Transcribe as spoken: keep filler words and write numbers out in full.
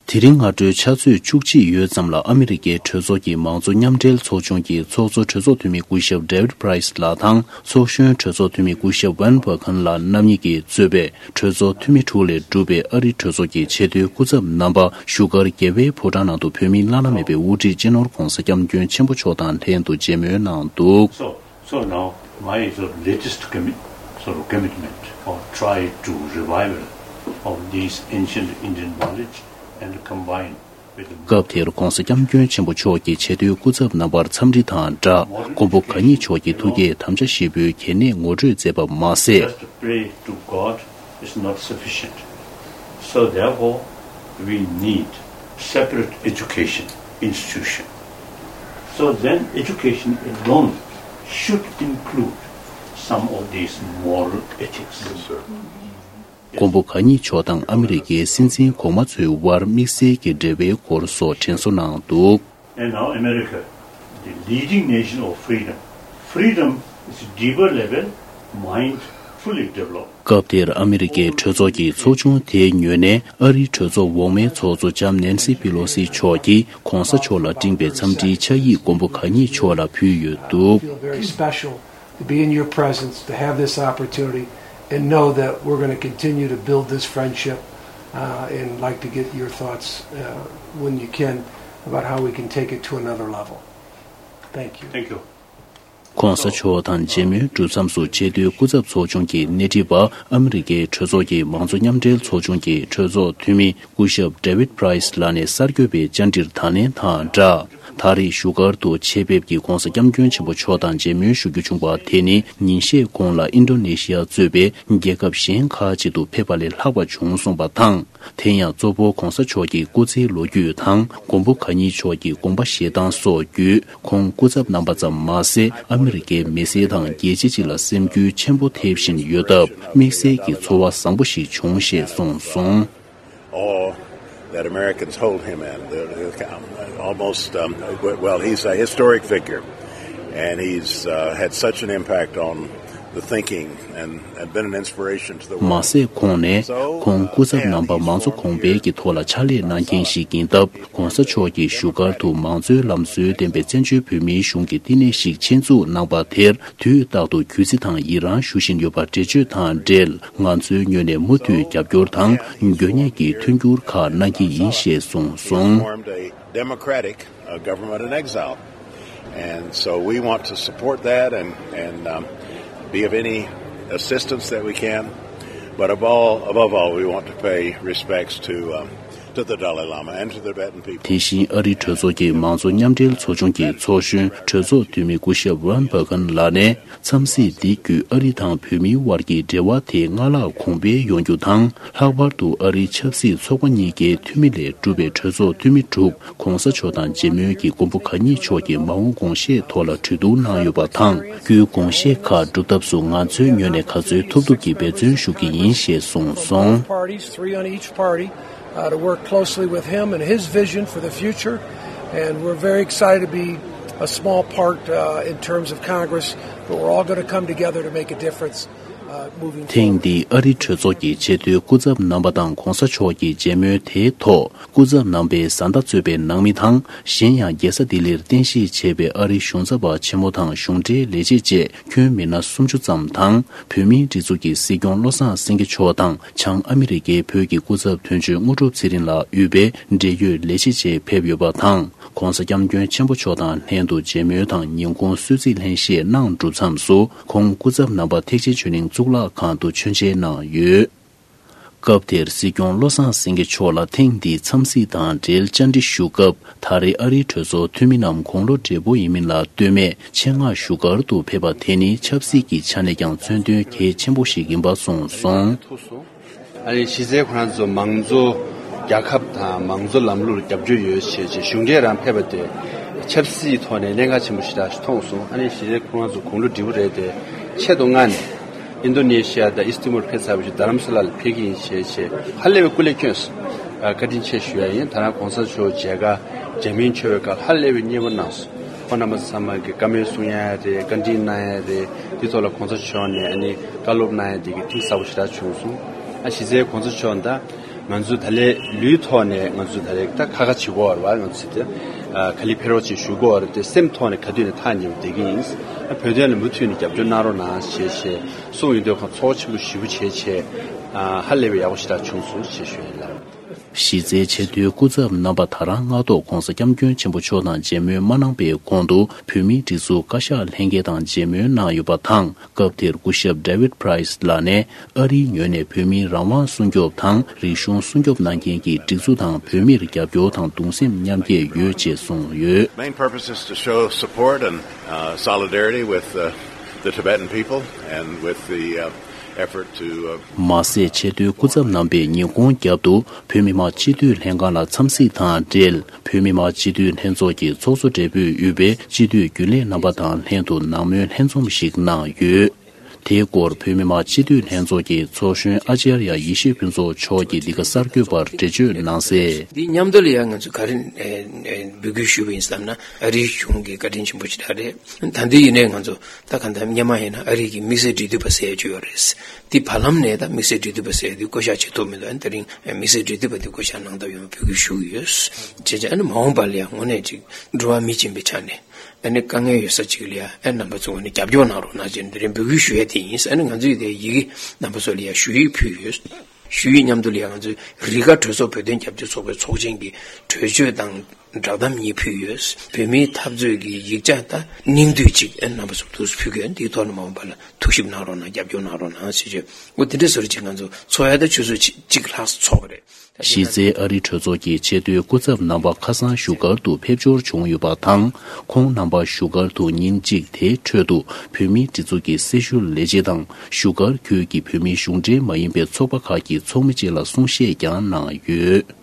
དེ་རིང་སྔ་དྲོའི་ཕྱག་ཚོད་བཅུ་གཅིག་ཡོལ་ཙམ་ལ་ཨ་མི་རི་ཀའི་གྲོས་ཚོགས་ཀྱི་མང་གཙོ་མཉམ་འབྲེལ་ཚོགས་ཆུང་གི་ཚོགས་གཙོ་གྲོས་ཚོགས་འཐུས་མི་སྐུ་ཞབས་David Price ལགས་དང་ཚོགས་གཞོན་གྲོས་ཚོགས་འཐུས་མི་སྐུ་ཞབས་Vern Pagan ལགས་རྣམ་གཉིས་ཀྱིས་གཙོས་པའི་གྲོས་ཚོགས་འཐུས་མི་དྲུག་ལས་གྲུབ་པའི་ཨ་རིའི་གྲོས་ཚོགས་ཀྱི་ཆེས་མཐོའི་སྐུ་ཚབ་རྣམ་པ་བཞུགས་སྒར་རྒྱལ་བའི་ཕོ་བྲང་ནང་དུ་བོད་མིའི་བླ་ན་མེད་པའི་དབུ་ཁྲིད་སྤྱི་ནོར་༧གོང་ས་༧སྐྱབས་མགོན་ཆེན་པོ་མཆོག་དང་ལྷན་དུ་མཇལ་མོལ་གནང་འདུག། So, so now my sort of latest commit, sort of commitment or try to revival of these ancient Indian knowledge and combine with the སྐབས་དེར་༧གོང་ས་༧སྐྱབས་མགོན་ཆེན་པོ་མཆོག་གི་ཆེས་མཐོའི་སྐུ་ཚབ་རྣམ་པར་འཚམས་འདྲི་དང་སྦྲགས་མགོན་པོ་གང་ཉིད་མཆོག་གི་ཐུགས་བསྐྱེད་དམ་བཅའ་བཞེས་པོའི་གལ་གནད་ངོ་སྤྲོད་མཛད་པ་མ་ཟད། Just to pray to God is not sufficient. So therefore, we need separate education institution. So then education alone should include some of these moral ethics. Yes, sir. མགོན་པོ་གང་ཉིད་མཆོག་དང་ཨ་མི་རི་ཀའི་སྲིད་འཛིན་གོང་མ་ཚོའི་དབར་དམིགས་བསལ་གྱི་འབྲེལ་བའི་སྐོར་སོགས་དྲན་གསོ་གནང་འདུག། And now America, the leading nation of freedom. Freedom is deeper level, mindfully developed. སྐབས་དེར་ཨ་མི་རི་ཀའི་གྲོས་ཚོགས་ཀྱི་ཚོགས་ཆུང་དེའི་ངོས་ནས་ཨ་རིའི་གྲོས་ཚོགས་འོག་མའི་ཚོགས་གཙོ་ལྕམ་Nancy Pelosi མཆོག་གིས་༧གོང་ས་མཆོག་ལ་སྤྲིངས་པའི་འཚམས་འདྲིའི་ཕྱག་ཡིག་མགོན་པོ་གང་ཉིད་མཆོག་ལ་ཕུལ་ཡོད་འདུག། Feel very special to be in your presence, to have this opportunity, and know that we're going to continue to build this friendship, uh, and like to get your thoughts, uh, when you can, about how we can take it to another level. Thank you. Thank you. ༧གོང་ས་མཆོག་དང་མཇལ་མོལ་གྲུབ་མཚམས་སུ་ཆེས་མཐོའི་སྐུ་ཚབ་ཚོགས་ཆུང་གི་སྣེ་ཁྲིད་པ་ཨ་མི་རི་ཀའི་གྲོས་ཚོགས་ཀྱི་མང་གཙོ་མཉམ་འབྲེལ་ཚོགས་ཆུང་གི་གྲོས་ཚོགས་འཐུས་མི་སྐུ་ཞབས་David Price ལགས་ནས་གསར་འགོད་པའི་བཅར་འདྲིར་དང་ལེན་དང་སྦྲགས། ད་རེས་བཞུགས་སྒར་དུ་ཆེད་ཕེབས་ཀྱིས་༧གོང་ས་༧སྐྱབས་མགོན་ཆེན་པོ་མཆོག་དང་མཇལ་མོལ་ཞུ་རྒྱུ་བྱུང་བ་དེ་ནི་ཉིན་ཤས་གོང་ལ་ཨིན་ཌོ་ནེ་ཤི་ཡ་གཙོས་པའི་རྒྱལ་ཁབ་གཞན་ཁག་ཅིག་ཏུ་ཕེབས་པ་ལས་ལྷག་པ་བྱུང་སོང་བ་དང་། དེ་ཡང་གཙོ་བོ་༧གོང་ས་མཆོག་གི་སྐུ་ཚེའི་ལོ་རྒྱུས་དང་མགོན་པོ་གང་ཉིད་མཆོག་གི་དགོངས་པ་བཞེས་སྟངས་སོགས་བརྒྱུད། ཁོང་སྐུ་ཚབ་རྣམ་པ་ཙམ་མ་ཟད། ཨ་མི་རི་ཀའི་མི་སེར་དང་རྒྱལ་སྤྱི་སྤྱི་ལ་སེམས་འགུལ་ཆེན་པོ་ཐེབས་བཞིན་ཡོད་སྟབས། དམིགས་བསལ་གྱི་ཚོར་བ་བཟང་པོ་ཞིག་བྱུང་ཞེས་གསུངས་སོང་། Awe that Americans hold him in. They're, they're almost, um, well, he's a historic figure, and he's, uh, had such an impact on the thinking and, and been an inspiration to the world. མ་ཟད་ཁོང་ནས་ཁོང་སྐུ་ཚབ་རྣམ་པ་མང་གཙོ་གོང་འཕེལ་གྱི་ཐོག་ལ་ཕྱག་ལས་གནང་མཁན་ཞིག་ཡིན་སྟབས། ༧གོང་ས་མཆོག་གིས་བཞུགས་སྒར་དུ་མང་གཙོའི་ལམ་སྲོལ་ལྡན་པའི་བཙན་བྱོལ་བོད་མིའི་གཞུང་གི་བསྟི་གནས་ཤིག་ཆེད་འཛུགས་གནང་པ་དེར་དུས་རྟག་ཏུ་གུས་བརྩི་དང་ཡི་རང་ཞུ་བཞིན་ཡོད་པ་འགྲེལ་བརྗོད་དང་འབྲེལ། ང་ཚོའི་ངོས་ནས་མུ་མཐུད་རྒྱབ་སྐྱོར་དང་དགོས་ངེས་ཀྱི་མཐུན་འགྱུར་ཁག་གནང་གི་ཡིན་ཞེས་གསུངས་སོང་། Formed a democratic, uh, government in exile. And so we want to support that and, and, um, be of any assistance that we can. But of all, above all, we want to pay respects to, um, to the Dalai Lama and to the Tibetan people. དེ་བཞིན་ཨ་རིའི་གྲོས་ཚོགས་ཀྱི་མང་གཙོ་མཉམ་འབྲེལ་ཚོགས་ཆུང་གི་ཚོགས་གཞོན་གྲོས་ཚོགས་འཐུས་མི་སྐུ་ཞབས་Vern Pagan ལགས་ནས། འཚམས་གཟིགས་འདི་བརྒྱུད་ཨ་རི་དང་བོད་མིའི་དབར་གྱི་འབྲེལ་བ་དེ་སྔར་ལྷག་གོང་འཕེལ་ཡོང་རྒྱུ་དང་། ལྷག་པར་དུ་ཨ་རིའི་ཆབ་སྲིད་ཚོགས་པ་གཉིས་ཀའི་འཐུས་མི་ལས་གྲུབ་པའི་གྲོས་ཚོགས་འཐུས་མི་དྲུག་༧གོང་ས་མཆོག་དང་མཇལ་མོལ་གྱིས་མགོན་པོ་གང་ཉིད་མཆོག་གི་མ་འོངས་དགོངས་བཞེས་ཐོག་ལ་གྲོས་བསྡུར་གནང་ཡོད་པ་དང་། བརྒྱུད་དགོངས་བཞེས་ཁག་སྒྲུབ་ཐབས་སུ་ང་ཚོའི་ངོས་ནས་ག་ཚོད་ཐུབ་ཐུབ་ཀྱིས་འབད་བརྩོན་ཞུ་གི་ཡིན་ཞེས་གསུངས་སོང་། Parties, three on each party, uh, to work closely with him and his vision for the future. And we're very excited to be a small part, uh, in terms of Congress, but we're all going to come together to make a difference, uh, moving forward. ཐེངས་འདིའི་ཨ་རིའི་གྲོས་ཚོགས་ཀྱི་ཆེས་མཐོའི་སྐུ་ཚབ་རྣམ་པ་དང་༧གོང་ས་མཆོག་གི་མཇལ་མོལ་དེའི་ཐོག་སྐུ་ཚབ་རྣམ་པའི་བཟའ་ཟླ་གཙོས་པའི་ནང་མི་དང་། གཞན་ཡང་རྒྱལ་ས་ལྡི་ལིར་རྟེན་གཞི་བྱས་པའི་ཨ་རིའི་གཞུང་ཚབ་པ་ཆེན་མོ་དང་གཞུང་འབྲེལ་ལས་བྱེད་བཅས་ཁྱོན་མི་སྣ་སུམ་ཅུ་ཙམ་དང་། བོད་མིའི་སྒྲིག་འཛུགས་ཀྱི་སྲིད་སྐྱོང་བློ་བཟང་སེང་གེ་མཆོག་དང་། བྱང་ཨ་མི་རི་ཀའི་བོད་ཀྱི་སྐུ་ཚབ་དོན་གཅོད་དངོས་གྲུབ་ཚེ་རིང་ལགས་དབུས་པའི་འབྲེལ་ཡོད་ལས་བྱེད་བཅས་ཕེབས་ཡོད་པ་དང་། ྋགོང་ས་ྋསྐྱབས་མགོན་ཆེན་པོ་མཆོག་དང་ལྷན་དུ་མཇལ་མོལ་དང་ཉིན་གུང་གསོལ་ཚིགས་ལྷན་བཞེས་གནང་གྲུབ་མཚམས་སུ། ཁོང་སྐུ་ཚབ་རྣམ་པ་ཐེག་ཆེན་ཆོས་གླིང་གཙུག་ལག་ཁང་དུ་མཆོད་མཇལ་གནང་ཡོད། སྐབས་དེར་སྲིད་སྐྱོང་བློ་བཟང་སེང་གེ་མཆོག་ལ་ཐེངས་འདིའི་འཚམས་གཟིགས་དང་འབྲེལ་བཅར་འདྲི་ཞུ་སྐབས། ད་རེས་ཨ་རིའི་གྲོས་ཚོགས་འཐུས་མི་རྣམས་དགུང་ལོ་བགྲེས་པོ་ཡིན་མིན་ལ་ལྟོས་མེད་ཆེད་མངགས་བཞུགས་སྒར་དུ་ཕེབས་པ་དེ་ནི་ཆབ་སྲིད་ཀྱི་ཆ་ནས་ཀྱང་མཚོན་དོན་གལ་ཆེན་པོ་ཞིག་ཡིན་པ་གསུངས་སོང་། ཨ་ནི་གཞི་རྩའི་ཁོ་རང་ཚོ་མང་གཙོ་རྒྱལ་ཁབ་དང་མང་གཙོ་ལམ་ལུགས་ལ་རྒྱབ་སྐྱོར་ཡོད་ཞེས་བྱས་གཞུང་འབྲེལ་རང་ཕེབས་པ་དེ་ཆབ་སྲིད་ཐོག་ནས་གནད་འགག་ཆེན་པོ་ཞིག་ལ་མཐོང་སོང་། ཨ་ནི་གཞི་རྩའི་ཁོ་རང་ཚོ་དགུང་ལོ་བགྲེས་པོ་རེད་དེ། ཆེད་དུ་མངགས་ནས་ཨིན་རྡོ་ནེ་ཤི་ཡ་དང་ཨིས་ཏན་བུལ་ཕེབས་ཚར་བའི་རྗེས་རྡ་རམ་ས་ལ་ལ་ཕེབས་ཀྱི་ཡིན་ཞེས་བྱས་ཧ་ལས་པའི་སྐུ་ལས་བསྐྱོན་སོང་། ཨ། བཀའ་དྲིན་ཆེ་ཞུ་ཡ་ཡིན། ད་རང་གོང་ས་མཆོག་མཇལ་ཁ་མཇལ་མིན་མཆོད་པའི་སྐབས་ཧ་ལས་པའི་མཉེས་པོ་གནང་སོང་། ཁོང་རྣམ་པ་ཚང་མ་གི་བཀའ་མོལ་གསུང་ཡ་རེད། བཀའ་འདྲི་གནང་ཡ་རེད། དེ་ཐོག་ལ་གོང་ས་མཆོག་ནས་ཨ་ནི་བཀའ་སློབ་གནང་ཡ་དེ་གི་གཏིང་ཟབ་པོ་ཞེ་དྲག་བྱུང་སོང་། ཨ། གཞི་རྩའི་གོང་ས་མཆོག་ད་ ང་ཚོ་ད་ལས་ལུས་ཐོག་ནས་ང་ཚོ་ད་ལས་ད་ཁ་ཁ་བྱེད་དགོས་བར་བ་ང་ཚོ་དེ་ཨ་ག་ལི་ཕེ་རོགས་ཅིག་ཞུ་དགོས་བར་དེ་སེམས་ཐོག་ནས་ག་དུས་ནས་ཐག་ཉེ་བ་བསྡད་ཀྱི་ཡིན། ཨ་བོད་དོན་ལ་མུ་མཐུད་ནས་རྒྱབ་སྐྱོར་གནང་རོགས་གནང་ཞེས་ཞེས་གསུངས་ཡོད་དུས་ཁོང་ཚོགས་ཆེན་པོ་ཞེ་པོ་བྱས་བྱས་ཨ་ཧ་ལས་པའི་ཡག་པོ་ཞེ་དྲག་བྱུང་སོང་ཞེས་ཞུ་ཡིན་ལ། གཞི་རྩའི་ཆེས་མཐོའི་སྐུ་ཚབ་རྣམ་པ་ད་རང་སྔ་ཐོག་༧གོང་ས་༧སྐྱབས་མགོན་ཆེན་པོ་མཆོག་དང་མཇལ་མོལ་མ་གནང་པའི་གོང་དུ་བོད་མིའི་སྒྲིག་འཛུགས་བཀའ་ཤག་ལྷན་རྒྱས་དང་མཇལ་མོལ་གནང་ཡོད་པ་དང་། སྐབས་དེར་སྐུ་ཞབས་David Price་ལགས་ནས་ཨ་རིའི་ངོས་ནས་བོད་མིའི་རང་དབང་སྲུང་སྐྱོབ་དང་རིག་གཞུང་སྲུང་སྐྱོབ་གནང་མཁན་གྱི་སྒྲིག་འཛུགས་དང་བོད་མིར་རྒྱབ་སྐྱོར་དང་གདུང་སེམས་མཉམ་སྐྱེད་ཡོད་ཅེས་གསུངས་ཡོད། Main purpose is to show support and uh, solidarity with uh, the Tibetan people and with the uh, effort to uh, མ་ཟད་ཆེས་མཐོའི་སྐུ་ཚབ་རྣམ་པས་ཉིན་གུང་རྒྱབ་ཏུ་བོད་མི་མང་སྤྱི་འཐུས་ལྷན་ཁང་ལ་འཚམས་གཟིགས་དང་འབྲེལ། བོད་མི་མང་སྤྱི་འཐུས་ལྷན་ཚོགས་ཀྱི་ཚོགས་གཙོ་སྦྲེལ་པོས་དབུས་པའི་སྤྱི་འཐུས་རྒྱུན་ལས་རྣམ་པ་དང་ལྷན་དུ་ནང་མོལ་ལྷན་འཛོམས་ཤིག་གནང་ཡོད། དེའི་སྐོར་བོད་མི་མང་སྤྱི་འཐུས་ལྷན་ཚོགས་ཀྱི་ཚོགས་གཞོན་ཨ་ཅཱརྱ་ཡེ་ཤེས་ཕུན་ཚོགས་མཆོག་གིས་འདི་ག་གསར་འགོད་པར་འགྲེལ་བརྗོད་གནང་གསལ། འདི་མཉམ་དུ་ལ་ཡང་ང་ཚོ་ག་རེ་ཨེ་ཨེ་འབོད་སྐུལ་ཞུས་པ་ཡིན་ཟེར་ན་ཨ་རིའི་གཞུང་གི་བཀའ་དྲིན་ཆེན་པོ་ཞིག་རེད། ད་འདི་ཡིན་ནའི་ང་ཚོ་ད་གང་ལྟར་སྔོན་མ་ཡིན་ན་ཨ་རི་གི་དམིགས་བསལ་འབྲེལ་མཐུད་པ་ཟེར་ཡ་ཅིག་ཡོད་རེད། འདི་བར་ལམ་ནས་ད་དམིགས་བསལ་འབྲེལ་མཐུད་པ་ཟེར་ཡ་འདི་བསྐོ་བཞག་བྱེད་ཐུབ་མི་འདུག་ཨ་ནི་དེ་རིང་དམིགས་བསལ་འབྲེལ་མཐུད་པ་འདི་བསྐོ་བཞག་གནང་ཐབས་ཡོང་བའི་འབོད་སྐུལ་ཞུ་གི་ཡོད། བྱས་ཙང་ཨ་ནི་མ་འོངས་པ་ལ་ཡང་དངོས་གནས་ཅིག་འགྲོ་བ་མི་ཡིན་པའི་ཆ་ནས་ཨ་ནི་དཀའ་ངལ་ཡོད་ས་ཅིག་ལ་ཡང་ཨ་ནི་རྣམ་པ་ཚོ་ངོས་ནས་རྒྱབ་སྐྱོར་གནང་རོགས་གནང་ཞེས་དེ་རིང་འབོད་སྐུལ་ཞུ་ཡ་དེ་ཡིན། ཨ་ནི་ང་ཚོས་དེ་ཡི་གེ་རྣམ་པ་ཚོ་ལ་ཡང་ཞུ་ཡིག་ཕུལ་ཡོད། ཞུ་ཡིག་མཉམ་དུ་ལ་ཡང་ང་ཚོས་རི་ཀ་གྲོས་ཚོགས་བོད་དོན་རྒྱབ་སྐྱོར་ཚོགས་པའི་ཚོགས་ཆེན་གྱི་གྲོས་ཆོད་དང་བསྒྲགས་གཏམ་གཉིས་ཕུལ་ཡོད། བོད་མིའི་འཐབ་རྩོད་ཀྱི་ཡིག་ཆ་དང་སྙིང་བསྡུས་གཅིག་ཨ་ནི་རྣམ་པ་ཚོར་དུ་ཕུལ་དགོས། འདིའི་ཐོག་ནས་མ་འོངས་པ་ལ་ཐུགས་ཞིབ་གནང་རོགས་གནང་། རྒྱབ་སྐྱོར་གནང་རོགས་གནང་ཞེས་བརྗོད། འོ་དེ་འདྲའི་བཟོ་འདྲ་ཅིག་ང་ཚོ་ཚོགས་ཡ་ད་ཆུ་ཚོད་གཅིག་ལྷག་ཙམ་ཚོགས་པ་རེད། གཞི་རྩའི་ཨ་རིའི་གྲོས་ཚོགས་ཀྱི་ཆེས་མཐོའི་སྐུ་ཚབ་རྣམ་པ་ཁ་སང་བཞུགས་སྒར་དུ་ཕེབས་འབྱོར་བྱུང་ཡོད་པ་དང་། ཁོང་རྣམ་པ་བཞུགས་སྒར་དུ་ཉིན་གཅིག་དེའི་ཁྲོད་དུ་བོད་མིའི་སྒྲིག་འཛུགས་ཀྱི་སེར་ཤུལ་ལས་བྱེད་དང་བཞུགས་སྒར་ཁུལ་གྱི་བོད་མིའི་གཞུང་འབྲེལ་མ་ཡིན་པའི་ཚོགས་པ་ཁག་གི་ཚོགས་མི་བཅས་ལ་གསུང་བཤད་ཀྱང་གནང་ཡོད།